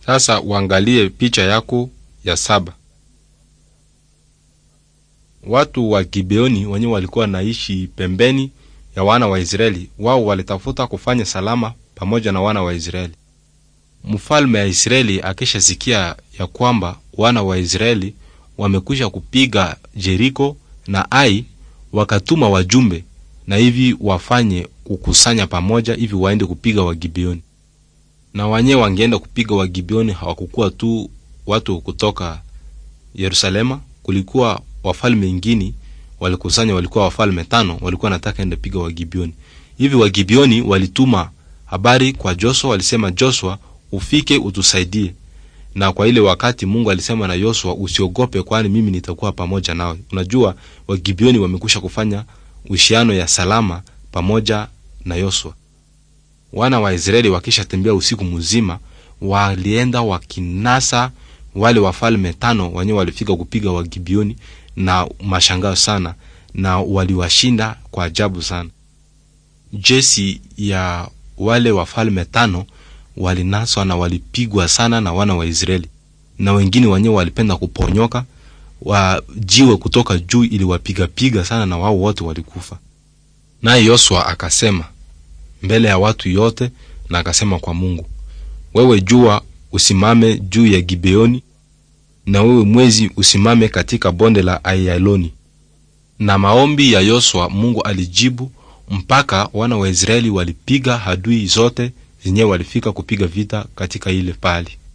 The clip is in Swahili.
Sasa uangalie picha yako ya 7. Watu wa Gibeoni wenye walikuwa naishi pembeni ya wana wa Israeli, wao walitafuta kufanya salama pamoja na wana wa Israeli. Mfalme ya Israeli akishasikia ya kwamba wana wa Israeli wamekwisha kupiga Jeriko na Ai, wakatuma wajumbe na hivi wafanye kukusanya pamoja hivi waende kupiga Wagibeoni. Na wanyewe wangeenda kupiga Wagibeoni, hawakukuwa tu watu kutoka Yerusalema, kulikuwa wafalme wengine walikusanya, walikuwa wafalme 5 walikuwa nataka enda piga Wagibeoni. Hivi Wagibeoni walituma habari kwa Joshua, walisema Joshua, ufike utusaidie. Na kwa ile wakati Mungu alisema na Yoshua, usiogope, kwani mimi nitakuwa pamoja nawe. Unajua Wagibeoni wamekusha kufanya uhusiano ya salama pamoja na Yoshua. Wana wa Israeli wakishatembea usiku mzima, walienda wakinasa wale wafalme 5 wenye walifika kupiga Wagibeoni na mashangao sana, na waliwashinda kwa ajabu sana. Jeshi ya wale wafalme 5 walinaswa na walipigwa sana na wana wa Israeli, na wengine wenyewe walipenda kuponyoka wajiwe kutoka juu iliwapiga piga sana, na wao wote walikufa. Naye Yoshua akasema mbele ya watu yote, na akasema kwa Mungu, wewe jua usimame juu ya Gibeoni, na wewe mwezi usimame katika bonde la Aiyaloni. Na maombi ya Yoshua Mungu alijibu, mpaka wana wa Israeli walipiga hadui zote zenyewe walifika kupiga vita katika ile pali.